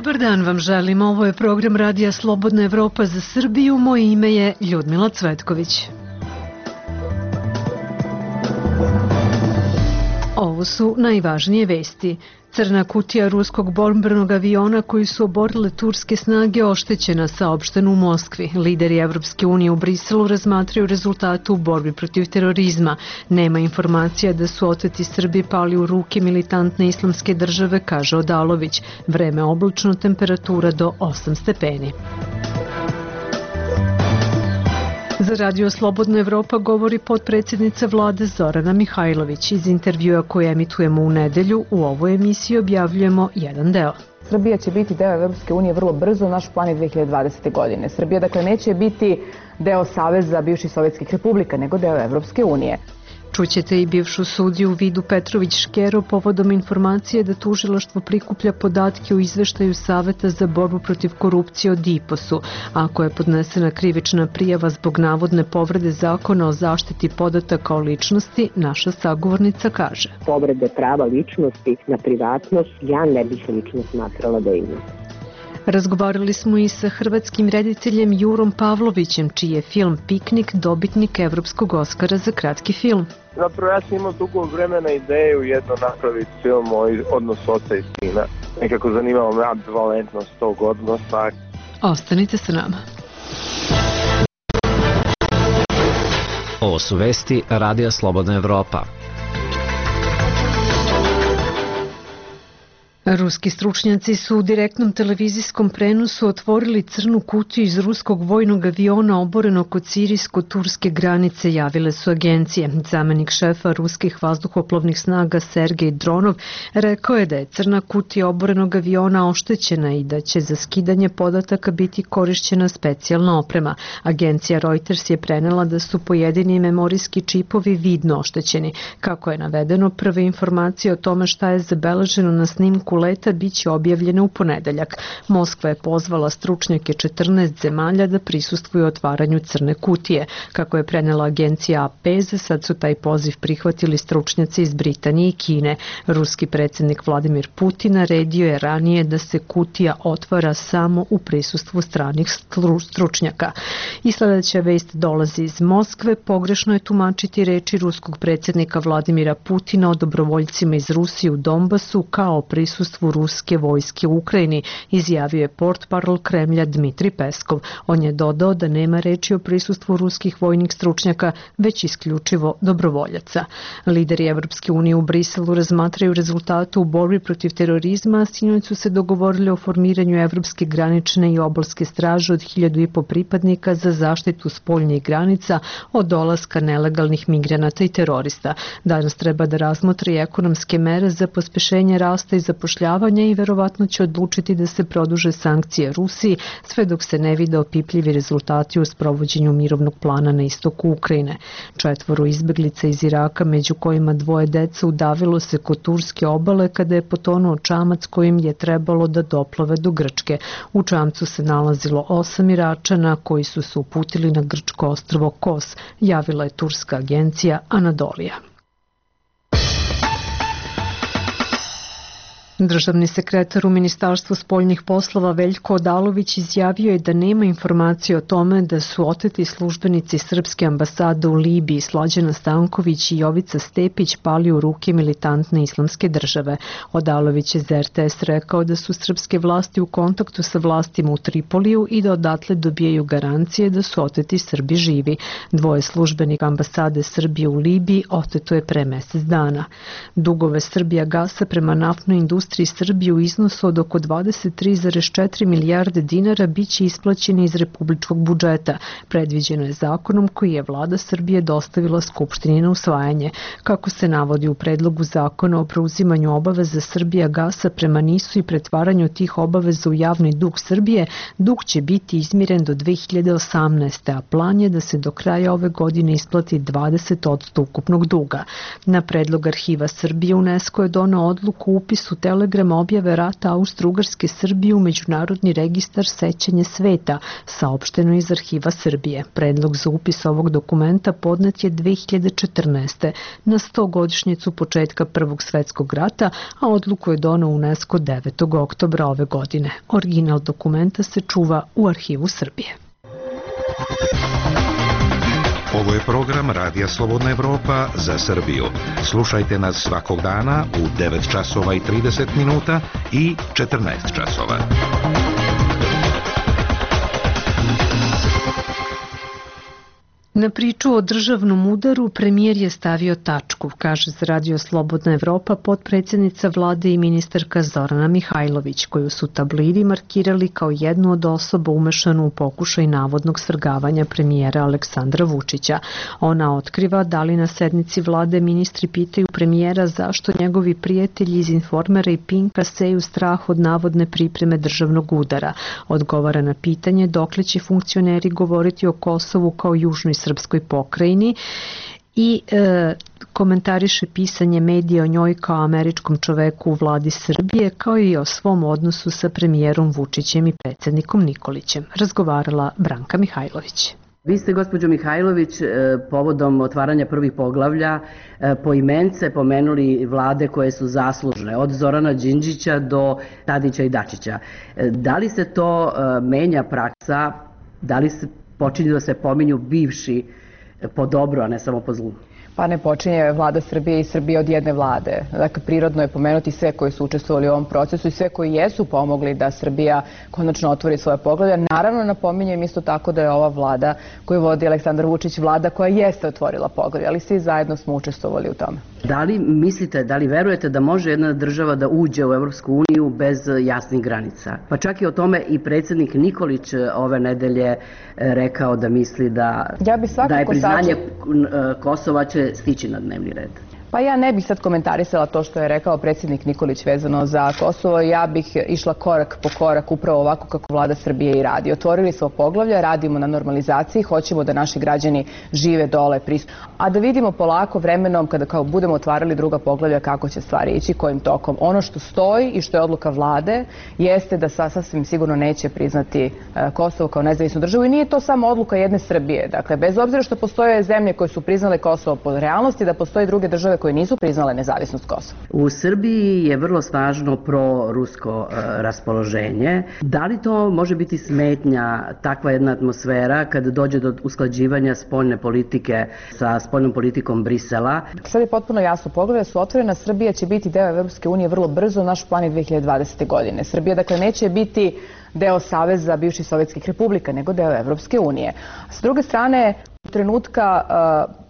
Dobar dan vam želim. Ovo je program Radija Slobodna Evropa za Srbiju. Moje ime je Ljudmila Cvetković. Ovo su najvažnije vesti. Crna kutija ruskog borbenog aviona koji su oborile turske snage oštećena, saopšteno u Moskvi. Lideri Evropske unije u Briselu razmatraju rezultate u borbi protiv terorizma. Nema informacija da su oteti Srbi pali u ruke militantne islamske države, kaže Odalović. Vreme oblačno, temperatura do 8 stepeni. Za Radio Slobodna Evropa govori potpredsjednica vlade Zorana Mihajlović. Iz intervjua koje emitujemo u nedelju, u ovoj emisiji objavljujemo jedan deo. Srbija će biti deo Evropske unije vrlo brzo, naš plan je 2020. godine. Srbija dakle neće biti deo Saveza bivših sovjetskih republika, nego deo Evropske unije. Čućete i bivšu sudiju Vidu Petrović-Škero povodom informacije da tužilaštvo prikuplja podatke u izveštaju Saveta za borbu protiv korupcije o DIPOS-u. Ako je podnesena krivična prijava zbog navodne povrede zakona o zaštiti podataka o ličnosti, naša sagovornica kaže. Povrede prava ličnosti na privatnost ja ne bih lično smatrala da ima. Razgovarali smo i sa hrvatskim rediteljem Jurom Pavlovićem, čiji je film Piknik dobitnik Evropskog Oskara za kratki film. Zapravo ja sam imao dugo vremena ideju jedno napraviti film o odnosu oca i sina. Nekako zanimalo me ambivalentnost tog odnosa. Ostanite sa nama. Ovo su vesti Radija Slobodna Evropa. Ruski stručnjaci su u direktnom televizijskom prenosu otvorili crnu kutiju iz ruskog vojnog aviona oborenog kod sirijsko-turske granice, javile su agencije. Zamenik šefa ruskih vazduhoplovnih snaga Sergej Dronov rekao je da je crna kutija oborenog aviona oštećena i da će za skidanje podataka biti korišćena specijalna oprema. Agencija Reuters je prenela da su pojedini memorijski čipovi vidno oštećeni. Kako je navedeno, prve informacije o tome šta je zabeleženo na snimku leta biće objavljene u ponedeljak. Moskva je pozvala stručnjake 14 zemalja da prisustvuju otvaranju crne kutije. Kako je prenela agencija AP, sad su taj poziv prihvatili stručnjaci iz Britanije i Kine. Ruski predsjednik Vladimir Putin naredio je ranije da se kutija otvara samo u prisustvu stranih stručnjaka. I sledeća vest dolazi iz Moskve. Pogrešno je tumačiti reči ruskog predsjednika Vladimira Putina o dobrovoljcima iz Rusije u Donbasu kao prisustvu ruske vojske u Ukrajini, izjavio je portparol Kremlja Dmitri Peskov. On je dodao da nema reči o prisustvu ruskih vojnih stručnjaka, već isključivo dobrovoljaca. Lideri Evropske unije u Briselu razmatraju rezultate u borbi protiv terorizma, sinoć su se dogovorili o formiranju Evropske granične i obalske straže od 1.500 pripadnika za zaštitu spoljnih granica od dolaska nelegalnih migranata i terorista. Danas treba da razmotri ekonomske mere za pospešenje rasta i zapošljavanja i verovatno će odlučiti da se produže sankcije Rusiji sve dok se ne vide opipljivi rezultati u sprovođenju mirovnog plana na istoku Ukrajine. 4 izbeglica iz Iraka, među kojima 2 deca, udavilo se kod turske obale kada je potonuo čamac kojim je trebalo da doplove do Grčke. U čamcu se nalazilo 8 Iračana koji su se uputili na grčko ostrvo Kos, javila je turska agencija Anadolija. Državni sekretar u Ministarstvu spoljnih poslova Veljko Odalović izjavio je da nema informacije o tome da su oteti službenici Srpske ambasade u Libiji Slađana Stanković i Jovica Stepić pali u ruke militantne islamske države. Odalović je za RTS rekao da su srpske vlasti u kontaktu sa vlastima u Tripoliju i da odatle dobijaju garancije da su oteti Srbi živi. 2 službenika ambasade Srbije u Libiji oteto je pre mesec dana. Dugove Srbijagasa prema naftnoj industriji Srbije u iznosu od oko 23,4 milijarde dinara biće isplaćeni iz republičkog budžeta. Predviđeno je zakonom koji je vlada Srbije dostavila Skupštini na usvajanje. Kako se navodi u predlogu zakona o preuzimanju obaveza Srbijagasa prema NIS-u i pretvaranju tih obaveza u javni dug Srbije, dug će biti izmiren do 2018. a plan je da se do kraja ove godine isplati 20% ukupnog duga. Na predlog Arhiva Srbije UNESCO je doneo odluku o upisu Telegram objave rata Austro-Ugarske Srbije u Međunarodni registar sećanja sveta, saopšteno iz Arhiva Srbije. Predlog za upis ovog dokumenta podnet je 2014. na 100-godišnjicu početka Prvog svetskog rata, a odluku je doneo UNESCO 9. oktobra ove godine. Original dokumenta se čuva u Arhivu Srbije. Ovo je program Radija Slobodna Evropa za Srbiju. Slušajte nas svakog dana u 9 časova i 30 minuta i 14 časova. Na priču o državnom udaru premijer je stavio tačku, kaže za Radio Slobodna Evropa potpredsjednica vlade i ministarka Zorana Mihajlović, koju su tablidi markirali kao jednu od osoba umešanu u pokušaj navodnog svrgavanja premijera Aleksandra Vučića. Ona otkriva da li na sednici vlade ministri pitaju premijera zašto njegovi prijatelji iz Informera i Pinka seju strah od navodne pripreme državnog udara. Odgovara na pitanje dokle će funkcioneri govoriti o Kosovu kao južnoj srpskoj pokrajini i komentariše pisanje medija o njoj kao američkom čoveku u vladi Srbije, kao i o svom odnosu sa premijerom Vučićem i predsjednikom Nikolićem. Razgovarala Branka Mihajlović. Vi ste, gospođo Mihajlović, povodom otvaranja prvih poglavlja poimence pomenuli vlade koje su zaslužne, od Zorana Đinđića do Tadića i Dačića. Da li se to menja praksa, da li se počinju da se pominju bivši po dobro, a ne samo po zlu? Pa ne počinje vlada Srbije i Srbije od jedne vlade. Dakle, prirodno je pomenuti sve koji su učestvovali u ovom procesu i sve koji jesu pomogli da Srbija konačno otvori svoje poglavlja. Naravno, napominjem isto tako da je ova vlada koju vodi Aleksandar Vučić vlada koja jeste otvorila poglavlja, ali svi zajedno smo učestvovali u tome. Da li mislite, da li verujete da može jedna država da uđe u Evropsku uniju bez jasnih granica? Pa čak i o tome i predsjednik Nikolić ove nedelje rekao da misli da je priznanje Kosova će stići na dnevni red. Pa ja ne bih sad komentarisala to što je rekao predsjednik Nikolić vezano za Kosovo. Ja bih išla korak po korak upravo ovako kako vlada Srbije i radi. Otvorili smo poglavlja, radimo na normalizaciji, hoćemo da naši građani žive dole, a da vidimo polako vremenom kada kao budemo otvarali druga poglavlja kako će stvari ići, kojim tokom. Ono što stoji i što je odluka vlade jeste da sasvim sigurno neće priznati Kosovo kao nezavisnu državu i nije to samo odluka jedne Srbije. Dakle, bez obzira što postoje zemlje koje su priznale Kosovo po realnosti, da postoje druge države koje nisu priznale nezavisnost Kosova. U Srbiji je vrlo snažno pro-rusko raspoloženje. Da li to može biti smetnja, takva jedna atmosfera, kada dođe do usklađivanja spoljne politike sa spoljnom politikom Brisela? Sad je potpuno jasno, poglavlja su otvorena, Srbija će biti deo Evropske unije vrlo brzo, naš plan je 2020. godine. Srbija dakle neće biti deo Saveza bivših sovjetskih republika, nego deo Evropske unije. S druge strane, trenutka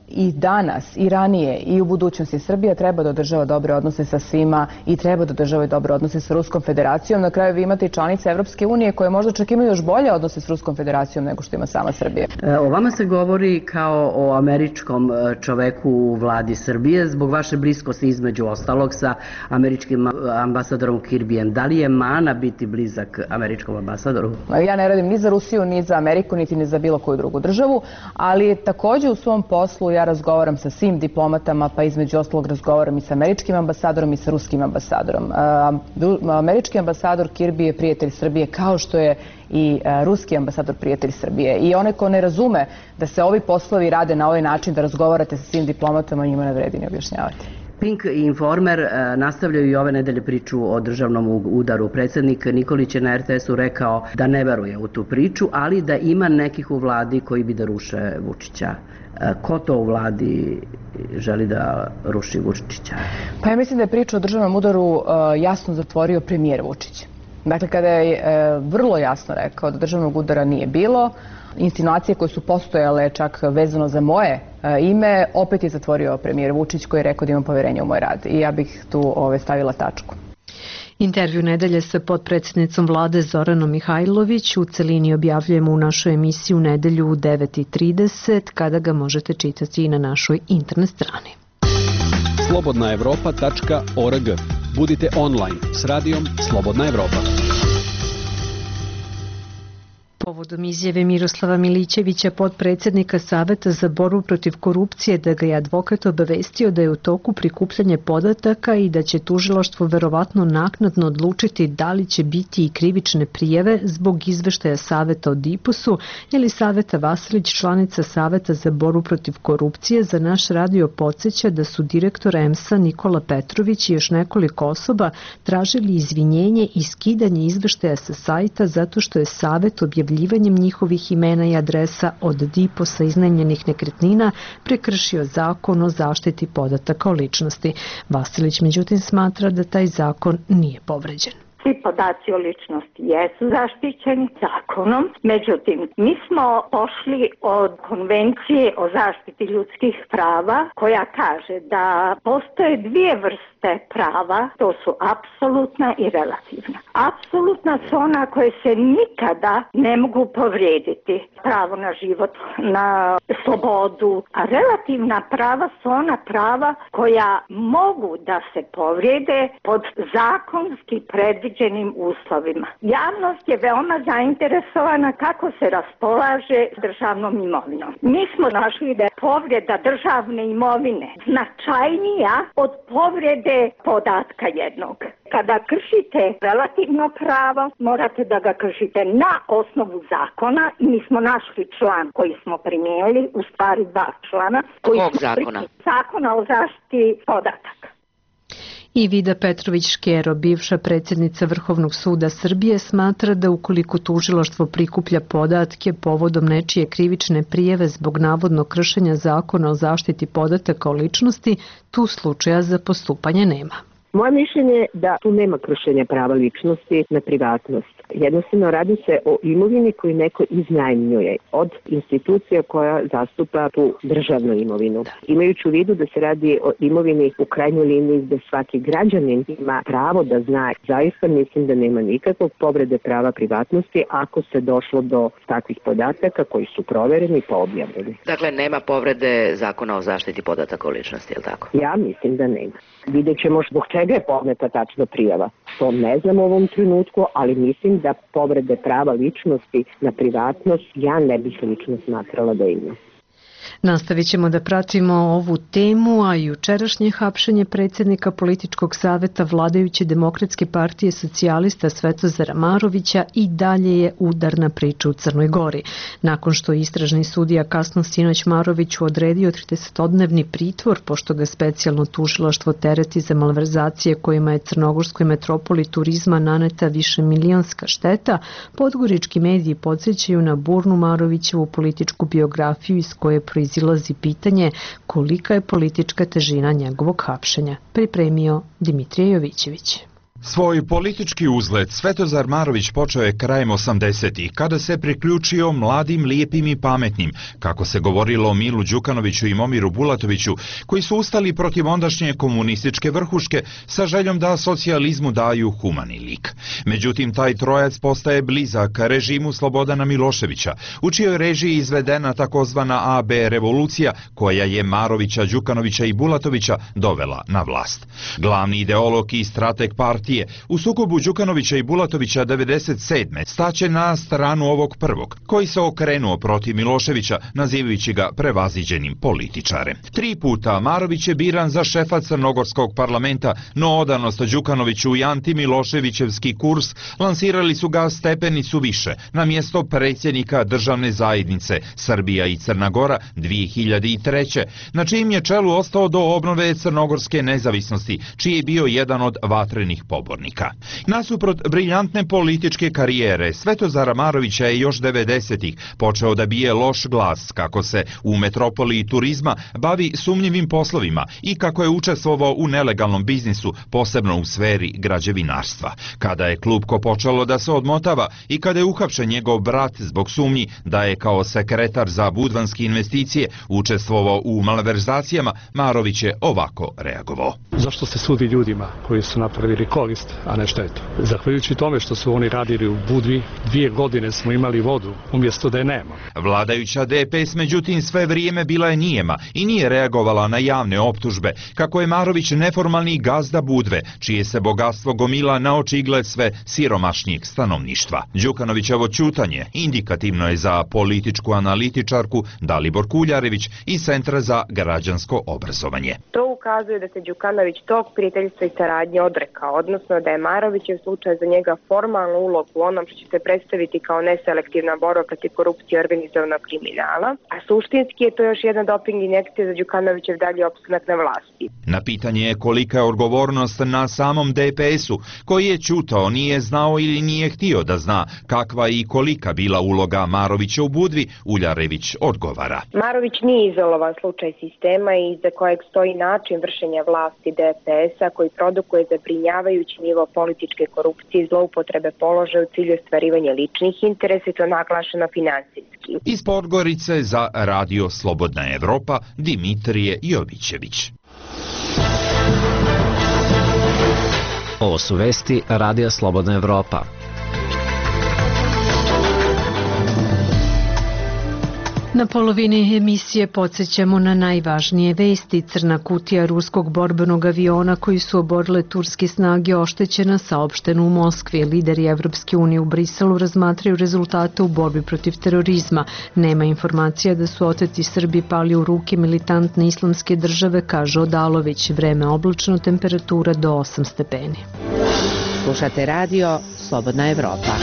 i danas, i ranije, i u budućnosti Srbija treba da održava dobre odnose sa svima i treba da održava dobre odnose sa Ruskom federacijom. Na kraju vi imate i članice Evropske unije koje možda čak imaju još bolje odnose s Ruskom federacijom nego što ima sama Srbija. O vama se govori kao o američkom čoveku u vladi Srbije zbog vaše bliskosti između ostalog sa američkim ambasadorom Kirbijem. Da li je mana biti blizak američkom ambasadoru? Ja ne radim ni za Rusiju, ni za Ameriku, niti ni za bilo koju drugu državu, ali takođe u svom poslu ja razgovaram sa svim diplomatama, pa između ostalog razgovaram i sa američkim ambasadorom i sa ruskim ambasadorom. Američki ambasador Kirby je prijatelj Srbije, kao što je i ruski ambasador prijatelj Srbije. I onaj ko ne razume da se ovi poslovi rade na ovaj način, da razgovarate sa svim diplomatama, njima ne vredi ni objašnjavati. Pink i Informer nastavljaju i ove nedelje priču o državnom udaru. Predsjednik Nikolić je na RTS-u rekao da ne veruje u tu priču, ali da ima nekih u vladi koji bi da ruše Vučića. Ko to u vladi želi da ruši Vučića? Pa ja mislim da je priča o državnom udaru jasno zatvorio premijer Vučić. Dakle, kada je vrlo jasno rekao da državnog udara nije bilo, insinuacije koje su postojale čak vezano za moje ime, opet je zatvorio premijer Vučić koji je rekao da imam poverenje u moj rad. I ja bih tu stavila tačku. Intervju nedelje sa potpredsjednicom vlade Zoranom Mihajlović u celini objavljujemo u našoj emisiji u nedelju u 9:30, kada ga možete čitati i na našoj internet strani. slobodnaevropa.org. Budite online s radijom Slobodna Evropa. Povodom izjave Miroslava Milićevića, potpredsjednika Saveta za borbu protiv korupcije, da ga je advokat obavestio da je u toku prikupljanje podataka i da će tužilaštvo verovatno naknadno odlučiti da li će biti i krivične prijave zbog izveštaja Saveta o DIPOS-u, ili Saveta Vasilić, članica Saveta za borbu protiv korupcije, za naš radio podsjeća da su direktor EMS-a Nikola Petrović i još nekoliko osoba tražili izvinjenje i skidanje izveštaja sa sajta zato što je Savet objavljivanjem njihovih imena i adresa od DIPOS-a iznajmljenih nekretnina prekršio zakon o zaštiti podataka o ličnosti. Vasilić međutim smatra da taj zakon nije povređen. Svi podaci o ličnosti jesu zaštićeni zakonom, međutim, mi smo pošli od konvencije o zaštiti ljudskih prava koja kaže da postoje dvije vrste prava, to su apsolutna i relativna. Apsolutna su ona koje se nikada ne mogu povrijediti, pravo na život, na slobodu, a relativna prava su ona prava koja mogu da se povrijede pod zakonski predviđenim uslovima. Javnost je veoma zainteresovana kako se raspolaže državnom imovinom. Mi smo našli da je povreda državne imovine značajnija od povrede podatka jednog. Kada kršite relativno pravo, morate da ga kršite na osnovu zakona i mi smo našli član koji smo primijenili, u stvari dva člana. Kog zakona? Zakona o zaštiti podataka. I Vida Petrović-Škero, bivša predsjednica Vrhovnog suda Srbije, smatra da ukoliko tužilaštvo prikuplja podatke povodom nečije krivične prijave zbog navodnog kršenja zakona o zaštiti podataka o ličnosti, tu slučaja za postupanje nema. Moje mišljenje je da tu nema kršenja prava ličnosti na privatnost. Jednostavno radi se o imovini koju neko iznajmljuje od institucija koja zastupa tu državnu imovinu. Imajući u vidu da se radi o imovini u krajnjoj liniji gde svaki građanin ima pravo da zna, zaista mislim da nema nikakvog povrede prava privatnosti ako se došlo do takvih podataka koji su provereni i objavljeni. Dakle, nema povrede zakona o zaštiti podataka o ličnosti, je li tako? Ja mislim da nema. Vidjet ćemo zbog čega je podneta tačno prijava. To ne znam u ovom trenutku, ali mislim da povrede prava ličnosti na privatnost ja ne bih lično smatrala da ima. Nastavit ćemo da pratimo ovu temu, a jučerašnje hapšenje predsjednika političkog saveta vladajuće Demokratske partije socijalista Svetozara Marovića i dalje je udarna priča u Crnoj Gori. Nakon što je istražni sudija kasno sinoć Maroviću odredio 30-dnevni pritvor, pošto ga specijalno tužilaštvo tereti za malverzacije kojima je crnogorskoj metropoli turizma naneta višemilionska šteta, podgorički mediji podsjećaju na burnu Marovićevu političku biografiju iz koje proizilazi pitanje kolika je politička težina njegovog hapšenja. Pripremio Dimitrije Jovićević. Svoj politički uzlet Svetozar Marović počeo je krajem 80-ih, kada se priključio mladim, lijepim i pametnim, kako se govorilo o Milu Đukanoviću i Momiru Bulatoviću, koji su ustali protiv ondašnje komunističke vrhuške sa željom da socijalizmu daju humani lik. Međutim, taj trojac postaje blizak režimu Slobodana Miloševića, u čijoj režiji izvedena takozvana AB revolucija, koja je Marovića, Đukanovića i Bulatovića dovela na vlast. Glavni ideolog i strateg partije u sukobu Đukanovića i Bulatovića 1997. staće na stranu ovog prvog, koji se okrenuo protiv Miloševića, nazivajući ga prevaziđenim političarem. 3 puta Marović je biran za šefa crnogorskog parlamenta, no odanost Đukanoviću i antimiloševićevski kurs lansirali su ga stepenicu više, na mjesto predsjednika državne zajednice Srbija i Crna Gora 2003. na čijim je čelu ostao do obnove crnogorske nezavisnosti, čiji je bio jedan od vatrenih pobornika. Nasuprot briljantne političke karijere, Svetozara Marovića je još 90-ih počeo da bije loš glas kako se u metropoli turizma bavi sumnjivim poslovima i kako je učestvovao u nelegalnom biznisu, posebno u sferi građevinarstva. Kada je klupko počelo da se odmotava i kada je uhapšen njegov brat zbog sumnji da je kao sekretar za budvanske investicije učestvovao u malverzacijama, Marović je ovako reagovao. Zašto se sudi ljudima koji su napravili korist, a ne štetu? Zahvaljujući tome što su oni radili u Budvi, 2 godine smo imali vodu, umjesto da je nema. Vladajuća DPS međutim sve vrijeme bila je nijema i nije reagovala na javne optužbe, kako je Marović neformalni gazda Budve, čije se bogatstvo gomila na očigled sve siromašnijeg stanovništva. Đukanovićevo ćutanje indikativno je za političku analitičarku Dalibor Kuljarević iz Centra za građansko obrazovanje. To ukazuje da se Đukanović tog prijateljstva i saradnje odrekao, odnosno da je Marovićev slučaj za njega formalnu ulogu u onom što će se predstaviti kao neselektivna borba protiv korupcije i organizovanog kriminala, a suštinski je to još jedna doping injekcija za Đukanovićev dalji opstanak na vlasti. Na pitanje je kolika je odgovornost na samom DPS-u, koji je ćutao, nije znao ili nije htio da zna kakva i kolika bila uloga Marovića u Budvi, Uljarević odgovara. Marović nije izolovan slučaj sistema iza kojeg stoji način vršenja vlasti DPS-a koji produkuje zabrinjavajući nivo političke korupcije i zloupotrebe položaja u cilju ostvarivanja ličnih interesa i to naglašeno finansijski. Iz Podgorice za Radio Slobodna Evropa Dimitrije Jovićević. Ovo su vesti Radija Slobodna Evropa. Na polovini emisije podsjećamo na najvažnije vesti. Crna kutija ruskog borbenog aviona koji su oborile turske snage oštećena, saopšteno u Moskvi. Lideri Evropske unije u Briselu razmatraju rezultate u borbi protiv terorizma. Nema informacija da su oteti Srbi pali u ruke militantne islamske države, kaže Odalović. Vreme oblačno, temperatura do 8 stepeni. Slušate radio Slobodna Evropa.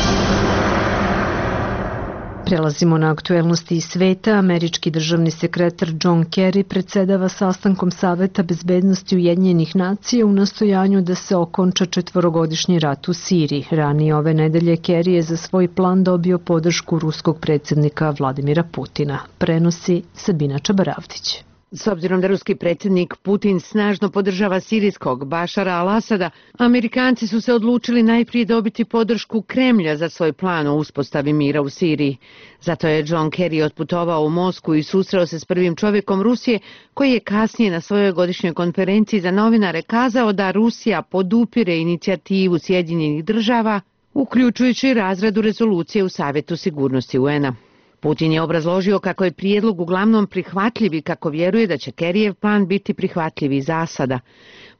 Prelazimo na aktuelnosti iz sveta. Američki državni sekretar John Kerry predsedava sastankom Saveta bezbednosti Ujedinjenih nacija u nastojanju da se okonča 4-godišnji rat u Siriji. Ranije ove nedelje Kerry je za svoj plan dobio podršku ruskog predsjednika Vladimira Putina. Prenosi Sabina Čabaravdić. S obzirom da ruski predsjednik Putin snažno podržava sirijskog Bašara al-Asada, Amerikanci su se odlučili najprije dobiti podršku Kremlja za svoj plan o uspostavi mira u Siriji. Zato je John Kerry otputovao u Moskvu i susreo se s prvim čovjekom Rusije, koji je kasnije na svojoj godišnjoj konferenciji za novinare kazao da Rusija podupire inicijativu Sjedinjenih država, uključujući razradu rezolucije u Savjetu sigurnosti UN-a. Putin je obrazložio kako je prijedlog uglavnom prihvatljiv i kako vjeruje da će Kerryjev plan biti prihvatljiv i za Asada.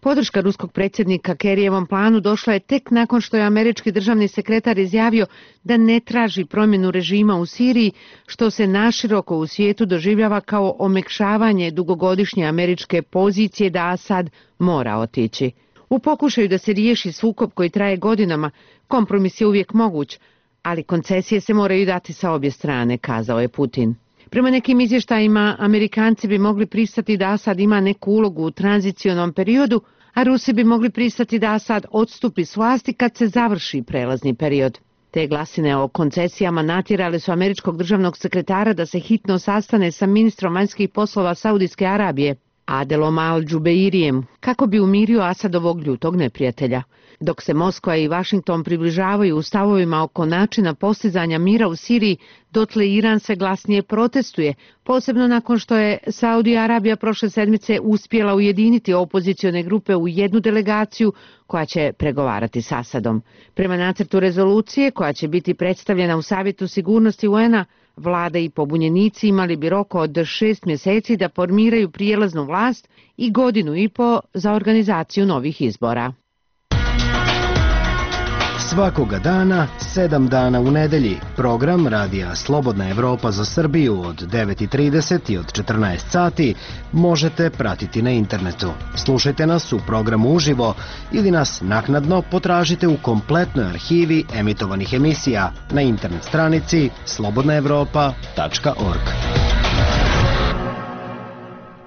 Podrška ruskog predsjednika Kerryjevom planu došla je tek nakon što je američki državni sekretar izjavio da ne traži promjenu režima u Siriji, što se naširoko u svijetu doživljava kao omekšavanje dugogodišnje američke pozicije da Asad mora otići. U pokušaju da se riješi sukob koji traje godinama, kompromis je uvijek moguć, ali koncesije se moraju dati sa obje strane, kazao je Putin. Prema nekim izvještajima, Amerikanci bi mogli pristati da Asad ima neku ulogu u tranzicionom periodu, a Rusi bi mogli pristati da Asad odstupi s vlasti kad se završi prelazni period. Te glasine o koncesijama natjerale su američkog državnog sekretara da se hitno sastane sa ministrom vanjskih poslova Saudijske Arabije, Adelom al-Džubeirijem, kako bi umirio Asadovog ljutog neprijatelja. Dok se Moskva i Vašington približavaju u stavovima oko načina postizanja mira u Siriji, dotle Iran se glasnije protestuje, posebno nakon što je Saudija Arabija prošle sedmice uspjela ujediniti opozicione grupe u jednu delegaciju koja će pregovarati s Asadom. Prema nacrtu rezolucije koja će biti predstavljena u Savjetu sigurnosti UN-a, vlada i pobunjenici imali bi rok od 6 mjeseci da formiraju prijelaznu vlast i 1,5 godine za organizaciju novih izbora. Svakoga dana, 7 dana u nedelji, program Radija Slobodna Evropa za Srbiju od 9:30 i od 14 sati možete pratiti na internetu. Slušajte nas u programu uživo ili nas naknadno potražite u kompletnoj arhivi emitovanih emisija na internet stranici slobodnaevropa.org.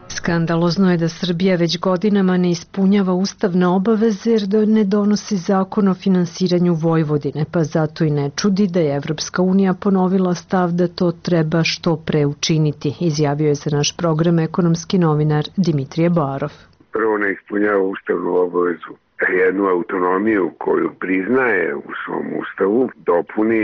Skandalozno je da Srbija već godinama ne ispunjava ustavne obaveze jer ne donosi zakon o finansiranju Vojvodine, pa zato i ne čudi da je Evropska unija ponovila stav da to treba što pre učiniti, izjavio je za naš program ekonomski novinar Dimitrije Barov. Prvo ne ispunjava ustavnu obavezu, jednu autonomiju koju priznaje u svom ustavu dopuni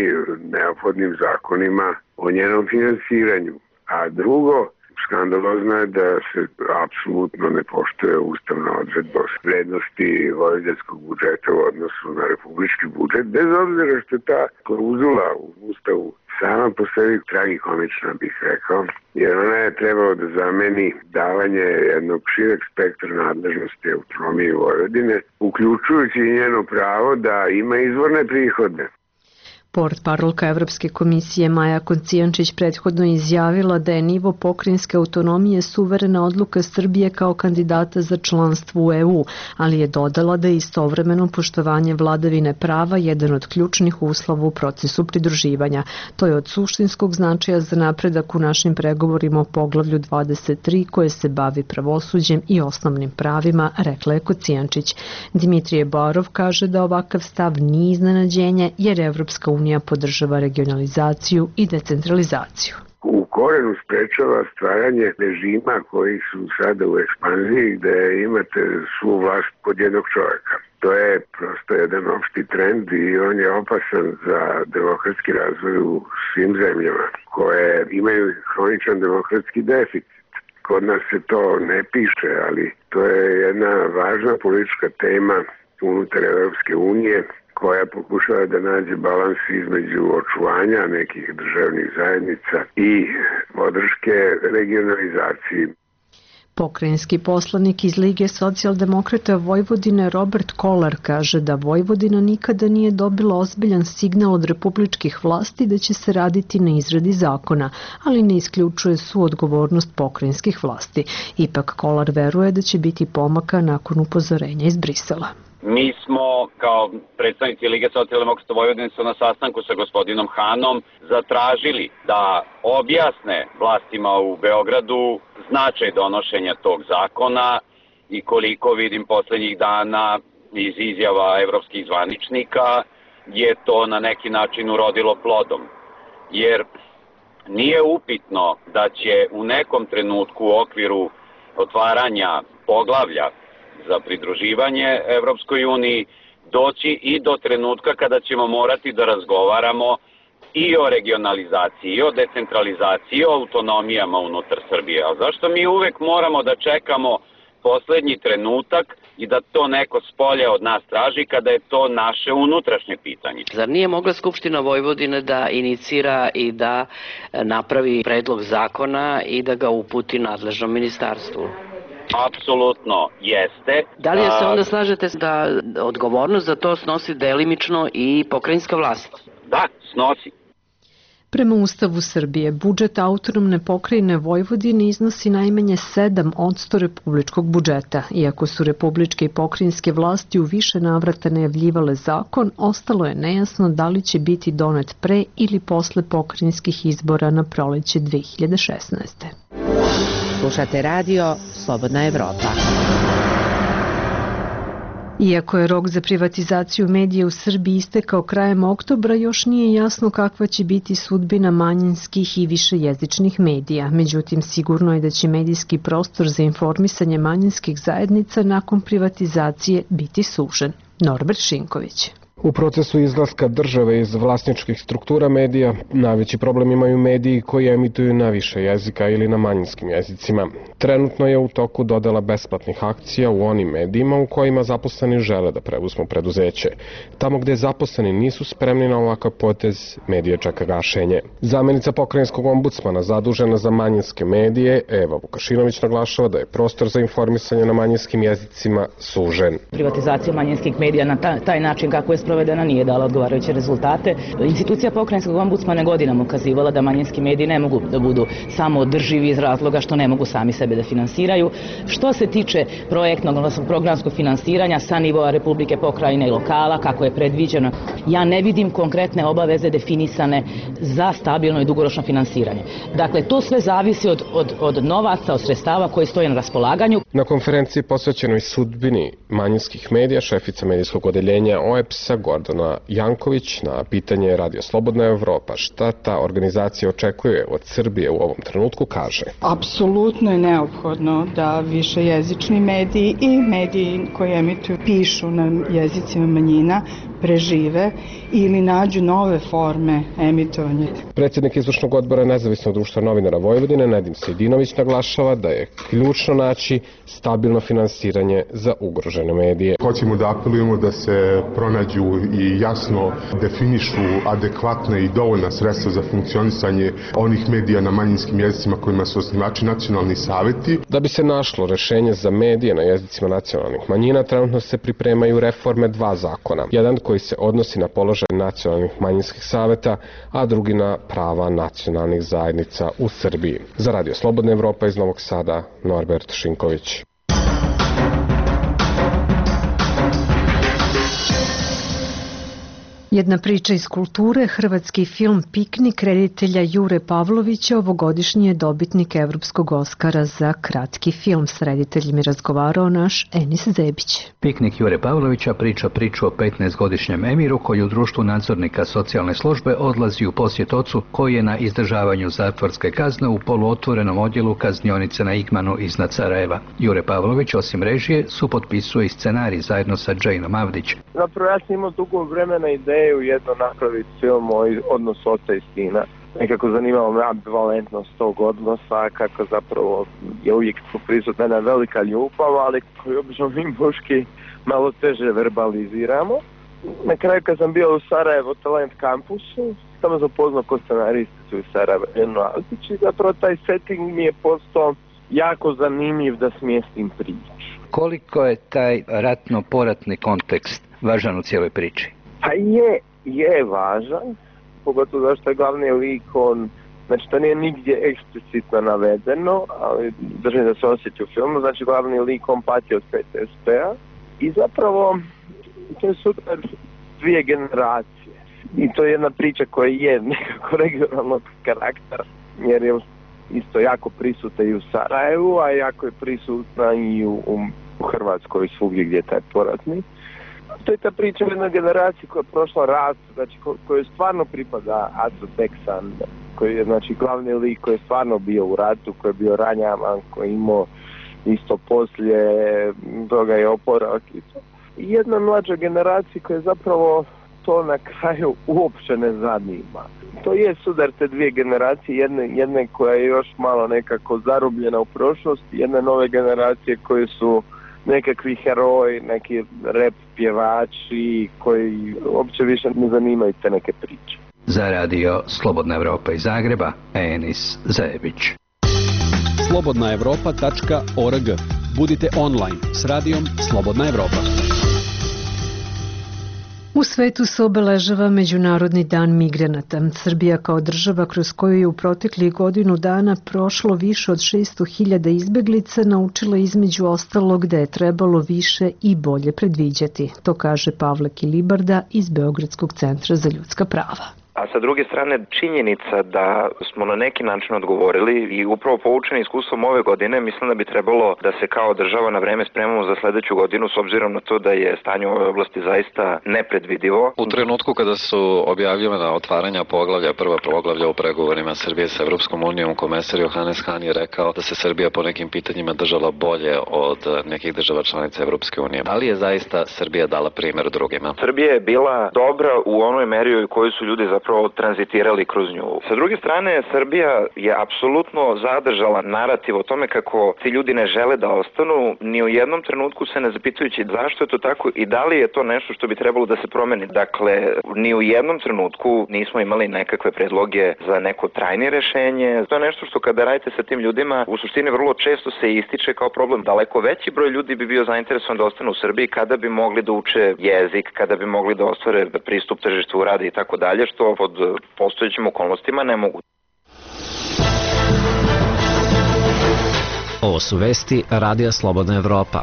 neophodnim zakonima o njenom finansiranju, a drugo skandalozno je da se apsolutno ne poštuje ustavna odredba o vrednosti vojvođanskog budžeta u odnosu na republički budžet, bez obzira što je ta klauzula u ustavu sama po sebi tragikomična, bih rekao, jer ona je trebalo da zameni davanje jednog šireg spektra nadležnosti autonomije Vojvodine, uključujući i njeno pravo da ima izvorne prihode. Portparolka Evropske komisije Maja Kocijančić prethodno izjavila da je nivo pokrajinske autonomije suverena odluka Srbije kao kandidata za članstvo u EU, ali je dodala da je istovremeno poštovanje vladavine prava jedan od ključnih uslova u procesu pridruživanja. To je od suštinskog značaja za napredak u našim pregovorima o poglavlju 23 koje se bavi pravosuđem i osnovnim pravima, rekla je Kocijančić. Dimitrije Barov kaže da ovakav stav nije iznenađenje jer Evropska unija podržava regionalizaciju i decentralizaciju. U korenu sprečava stvaranje režima koji su sada u ekspanziji gde imate svu vlast kod jednog čoveka. To je prosto jedan opšti trend i on je opasan za demokratski razvoj u svim zemljama koje imaju hroničan demokratski deficit. Kod nas se to ne piše, ali to je jedna važna politička tema unutar Evropske unije koja pokušava da nađe balans između očuvanja nekih državnih zajednica i podrške regionalizaciji. Pokrajinski poslanik iz Lige socijaldemokrata Vojvodine Robert Kolar kaže da Vojvodina nikada nije dobila ozbiljan signal od republičkih vlasti da će se raditi na izradi zakona, ali ne isključuje suodgovornost pokrajinskih vlasti. Ipak Kolar veruje da će biti pomaka nakon upozorenja iz Brisela. Mi smo kao predstavnici Lige socijaldemokrata Vojvodine na sastanku sa gospodinom Hanom zatražili da objasne vlastima u Beogradu značaj donošenja tog zakona i koliko vidim poslednjih dana iz izjava evropskih zvaničnika je to na neki način urodilo plodom. Jer nije upitno da će u nekom trenutku u okviru otvaranja poglavlja za pridruživanje Evropskoj uniji doći i do trenutka kada ćemo morati da razgovaramo i o regionalizaciji, i o decentralizaciji, i o autonomijama unutar Srbije. A zašto mi uvek moramo da čekamo poslednji trenutak i da to neko spolje od nas traži kada je to naše unutrašnje pitanje? Zar nije mogla Skupština Vojvodine da inicira i da napravi predlog zakona i da ga uputi nadležnom ministarstvu? Apsolutno jeste. Da li se onda slažete da odgovornost za to snosi delimično i pokrajinska vlast? Da, snosi. Prema Ustavu Srbije, budžet autonomne pokrajine Vojvodine iznosi najmanje 7% republičkog budžeta. Iako su republičke i pokrajinske vlasti u više navrata najavljivale zakon, ostalo je nejasno da li će biti donet pre ili posle pokrajinskih izbora na proleće 2016. Slušate radio Slobodna Evropa. Iako je rok za privatizaciju medija u Srbiji istekao krajem oktobra, još nije jasno kakva će biti sudbina manjinskih i višejezičnih medija. Međutim, sigurno je da će medijski prostor za informisanje manjinskih zajednica nakon privatizacije biti sužen. Norbert Šinković. U procesu izlaska države iz vlasničkih struktura medija najveći problem imaju mediji koji emituju na više jezika ili na manjinskim jezicima. Trenutno je u toku dodela besplatnih akcija u onim medijima u kojima zaposleni žele da preuzmu preduzeće. Tamo gde zaposleni nisu spremni na ovakav potez, medije čeka gašenje. Zamenica pokrajinskog ombudsmana zadužena za manjinske medije, Eva Vukašinović, naglašava da je prostor za informisanje na manjinskim jezicima sužen. Privatizacija manjinskih medija na taj način kako je sprovedena nije dala odgovarajuće rezultate. Institucija pokrajinskog ombudsmana godinama ukazivala da manjinski mediji ne mogu da budu samo održivi iz razloga što ne mogu sami sebe da finansiraju. Što se tiče projektnog, odnosno programskog finansiranja sa nivoa Republike, pokrajine i lokala, kako je predviđeno, ja ne vidim konkretne obaveze definisane za stabilno i dugoročno finansiranje. Dakle, to sve zavisi od novaca, od sredstava koji stoje na raspolaganju. Na konferenciji posvećenoj sudbini manjinskih medija, šefica medijskog odeljenja OEBS-a Gordana Janković na pitanje Radio Slobodna Evropa šta ta organizacija očekuje od Srbije u ovom trenutku kaže. Apsolutno je neophodno da višejezični mediji i mediji koji emituju, pišu na jezicima manjina prežive emisije ili nađu nove forme emitovanja. Predsjednik izvršnog odbora Nezavisnog društva novinara Vojvodine, Nedim Sejdinović, naglašava da je ključno naći stabilno finansiranje za ugrožene medije. Hoćemo da apelujemo da se pronađu i jasno definišu adekvatne i dovoljna sredstva za funkcionisanje onih medija na manjinskim jezicima kojima su osnivači nacionalni saveti. Da bi se našlo rešenje za medije na jezicima nacionalnih manjina, trenutno se pripremaju reforme 2 zakona. Jedan koji se odnosi na položaj nacionalnih manjinskih saveta, a drugi na prava nacionalnih zajednica u Srbiji. Za Radio Slobodna Evropa iz Novog Sada, Norbert Šinković. Jedna priča iz kulture, hrvatski film Piknik reditelja Jure Pavlovića ovogodišnji je dobitnik Evropskog Oskara za kratki film. S rediteljem je razgovarao naš Enis Zebić. Piknik Jure Pavlovića priča priču o 15-godišnjem Emiru koji u društvu nadzornika socijalne službe odlazi u posjet ocu koji je na izdržavanju zatvorske kazne u poluotvorenom odjelu kaznionice na Igmanu iznad Sarajeva. Jure Pavlović osim režije supotpisuje i scenarij zajedno sa Džejnom Avdić. Zapravo ja sam imao dugo vremena ideju jedno napraviti film o odnosu oca i sina. Nekako zanimalo me ambivalentnost tog odnosa, kako zapravo je uvijek prisutna jedna velika ljubav, ali koju obično mi muški malo teže verbaliziramo. Na kraju kad sam bio u Sarajevo Talent kampusu, tamo sam poznao ko scenaristicu iz Sarajeva, i zapravo taj setting mi je postao jako zanimljiv da smjestim priču. Koliko je taj ratno-poratni kontekst važan u cijeloj priči? Pa je važan, pogotovo zašto je glavni lik, znači to nije nigdje eksplicitno navedeno, ali držim da se osjeti u filmu, znači glavni lik on pati od PTSP-a i zapravo to je super 2 generacije i to je jedna priča koja je nekako regionalnog karaktera, jer je isto jako prisutna i u Sarajevu, a jako je prisutna i u Hrvatskoj svugdje gdje je taj poratni. To je ta priča o jednoj generaciji koja je prošla rat, znači kojoj stvarno pripada Aco Teksan, koji je znači glavni lik koji je stvarno bio u ratu, koji je bio ranjavan, koji je imao isto poslije toga je oporavak i to. I jedna mlađa generacija koja zapravo to na kraju uopće ne zanima. To je sudar te 2 generacije, jedne koja je još malo nekako zarobljena u prošlosti, jedne nove generacije koje su nekakvi heroji, neki rap pjevači koji uopće više ne zanimaju te neke priče. Za Radio Slobodna Evropa iz Zagreba, Enis Zebić. slobodnaevropa.org. Budite online s radijom Slobodna Evropa. U svetu se obeležava Međunarodni dan migranata. Srbija kao država kroz koju je u proteklih godinu dana prošlo više od 600.000 izbeglica naučila između ostalog da je trebalo više i bolje predviđati. To kaže Pavle Kilibarda iz Beogradskog centra za ljudska prava. A sa druge strane, činjenica da smo na neki način odgovorili i upravo poučeni iskustvom ove godine, mislim da bi trebalo da se kao država na vreme spremamo za sledeću godinu s obzirom na to da je stanje u ovoj oblasti zaista nepredvidivo. U trenutku kada su objavljena otvaranja poglavlja, prva poglavlja u pregovorima Srbije sa Evropskom unijom, komesar Johannes Hahn je rekao da se Srbija po nekim pitanjima držala bolje od nekih država članica Evropske unije. Da li je zaista Srbija dala primjer drugima? Srbija je bila dobra u onoj meri u kojoj su ljudi zapravo tranzitirali kroz nju. Sa druge strane, Srbija je apsolutno zadržala narativ o tome kako ti ljudi ne žele da ostanu, ni u jednom trenutku se ne zapitujući zašto je to tako i da li je to nešto što bi trebalo da se promeni. Dakle, ni u jednom trenutku nismo imali nekakve predloge za neko trajnije rešenje. To je nešto što kada radite sa tim ljudima, u suštini vrlo često se ističe kao problem. Daleko veći broj ljudi bi bio zainteresovan da ostane u Srbiji kada bi mogli da uče jezik, kada bi mogli da ostvare pristup tržištu rada i tako dalje, što pod postojećim okolnostima ne mogu. Ovo su vesti Radija Slobodna Evropa.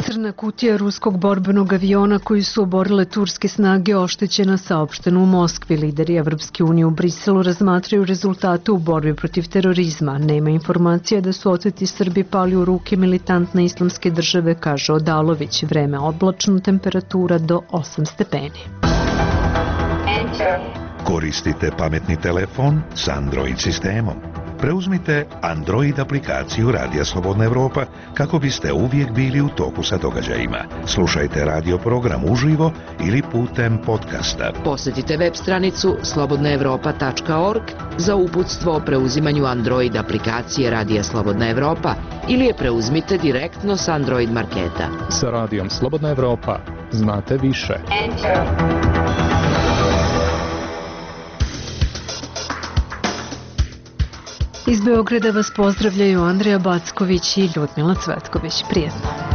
Crna kutija ruskog borbenog aviona koji su oborile turske snage oštećena, saopšteno u Moskvi. Lideri Evropske unije u Briselu razmatraju rezultate u borbi protiv terorizma. Nema informacija da su oteti Srbi pali u ruke militantne islamske države, kaže Odalović. Vreme oblačno, temperatura do 8 stepeni. Koristite pametni telefon s Android sistemom. Preuzmite Android aplikaciju Radija Slobodna Evropa kako biste uvijek bili u toku sa događajima. Slušajte radio program uživo ili putem podcasta. Posjetite web stranicu slobodnaevropa.org za uputstvo o preuzimanju Android aplikacije Radija Slobodna Evropa ili je preuzmite direktno s Android marketa. Sa Radijom Slobodna Evropa znate više. Iz Beograda vas pozdravljaju Andreja Backović i Ljudmila Cvetković. Prijetno.